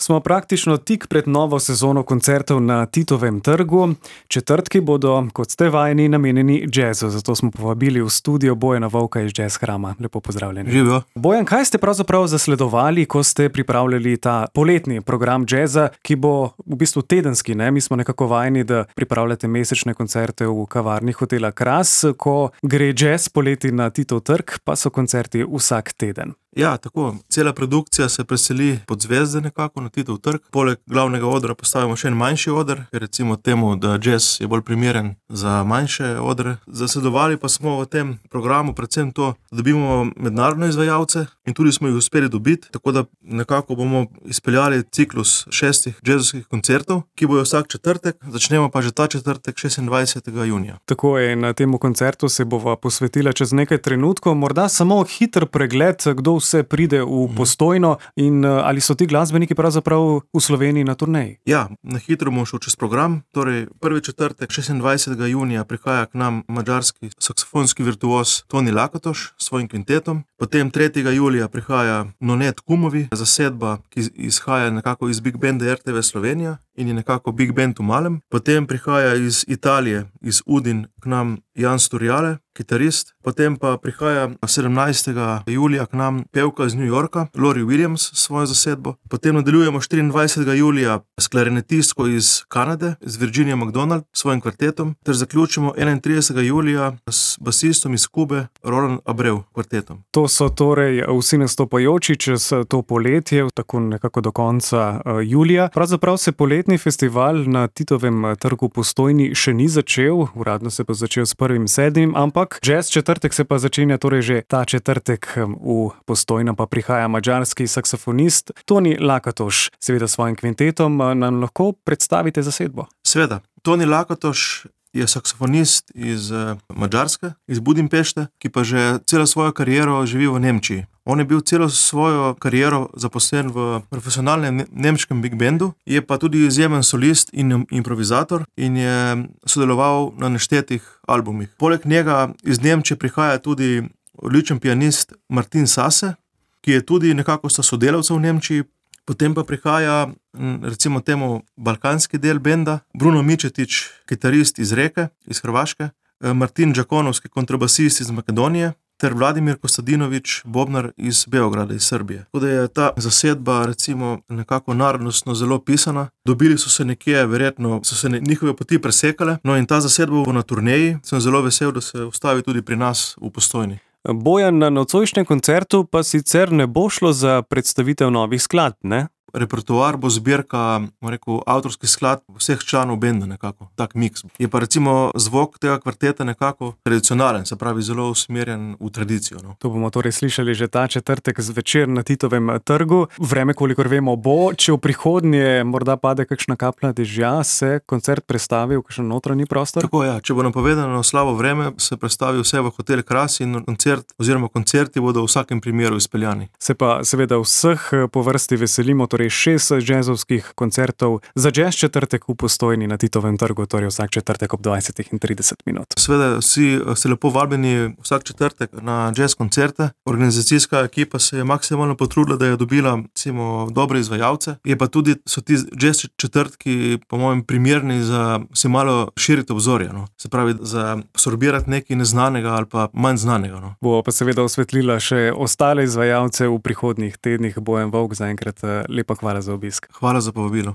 Smo praktično tik pred novo sezono koncertov na Titovem trgu. Četrtki bodo, kot ste vajeni, namenjeni jazzu, zato smo povabili v studio Bojana Vovka iz Jazz Hrama. Lepo pozdravljeni. Živijo. Bojan, kaj ste pravzaprav zasledovali, ko ste pripravljali ta poletni program jazza, ki bo v bistvu tedenski, ne? Mi smo nekako vajeni, da pripravljate mesečne koncerte v kavarni hotela Kras, ko gre jazz poleti na Titov trg, pa so koncerti vsak teden. Ja, tako. Cela produkcija se preseli pod zvezde nekako na Titov trg. Poleg glavnega odra postavimo še en manjši oder, ker recimo temu, da jazz je bolj primeren za manjše odre. Zasledovali pa smo v tem programu predvsem to, da dobimo mednarodne izvajalce in tudi smo jih uspeli dobiti, tako da nekako bomo izpeljali ciklus 6 jazzovskih koncertov, ki bojo vsak četrtek, začnemo pa že ta četrtek 26. junija. Tako je, na temu koncertu se bova posvetila čez nekaj trenutkov, morda samo hiter pregled, kdo vse pride v Postojno in ali so ti glasbeniki pravzaprav v Sloveniji na turneji? Ja, na hitro bomo šel čez program. Torej, prvi četrtek 26. junija prihaja k nam madžarski saksofonski virtuoz Toni Lakatoš s svojim kvintetom. Potem 3. julija prihaja Nonet Kumovi, zasedba, ki izhaja nekako iz Big Banda RTV Slovenija in je nekako Big Band v malem. Potem prihaja iz Italije, iz Udin k nam Jan Sturjale, kitarist. Potem pa prihaja 17. julija k nam pevka iz New Yorka, Lori Williams s svojo zasedbo. Potem nadaljujemo 24. julija s klarinetistko iz Kanade, z Virginia McDonald, s svojim kvartetom, ter zaključimo 31. julija s basistom iz Kube, Roland Abreu kvartetom. To so torej vsi nastopajoči čez to poletje, tako nekako do konca julija. Pravzaprav se poletni festival na Titovem trgu v Postojni še ni začel, uradno se bo začel s 1.7., ampak jazz četrtek se pa začenja torej že ta četrtek v Postojno, pa prihaja madžarski saksofonist Toni Lakatoš, seveda s svojim kvintetom. Nam lahko predstavite zasedbo? Seveda. Toni Lakatoš je saksofonist iz Madžarske, iz Budimpešte, ki pa že celo svojo kariero živi v Nemčiji. On je bil celo svojo kariero zaposlen v profesionalnem nemškem big bandu, je pa tudi izjemen solist in improvizator in je sodeloval na neštetih albumih. Poleg njega iz Nemčije prihaja tudi odličen pianist Martin Sase, ki je tudi nekako sta sodelavca v Nemčiji. Potem pa prihaja recimo temu balkanski del benda, Bruno Mičetič, kitarist iz Reke, iz Hrvaške, Martin Đakonovski, kontrabasist iz Makedonije, ter Vladimir Kostadinović, bobnar iz Beograda, iz Srbije. Tako da je ta zasedba recimo nekako narodnostno zelo pisana. Dobili so se nekje, verjetno so se njihove poti presekale, no in ta zasedba bo na turneji. Sem zelo vesel, da se ustavi tudi pri nas v Postojni. Bojan, na nocojšnjem koncertu pa sicer ne bo šlo za predstavitev novih skladb, ne? Repertoar bo zbirka, avtorskih skladb vseh članov benda nekako, tak miks. Je pa recimo zvok tega kvarteta nekako tradicionalen, se pravi zelo usmerjen v tradicijo. No. To bomo torej slišali že ta četrtek zvečer na Titovem trgu. Vreme, kolikor vemo, bo, če v prihodnje morda pade kakšna kaplja dežja, se koncert prestavi v kakšen notranji prostor? Tako ja, če bo napovedano slabo vreme, se prestavi vse v hotel Kras in koncerti bodo v vsakem primeru izpeljani. Se pa seveda vseh po vrsti veselimo, torej 6 jazzovskih koncertov za jazz četrtek v Postojni na Titovem trgu, torej vsak četrtek ob 20:30. Seveda vsi ste lepo vabljeni vsak četrtek na jazz koncerte. Organizacijska ekipa se je maksimalno potrudila, da je dobila recimo dobre izvajalce. Je pa tudi so ti jazz četrtki po mojem primerni za si malo širiti obzorje, no. Se pravi za absorbirati nekaj neznanega ali pa manj znanega, no. Bo pa seveda osvetlila še ostale izvajalce v prihodnjih tednih. Bojan Vovk, zaenkrat lepa hvala za obisk. Hvala za povabilo.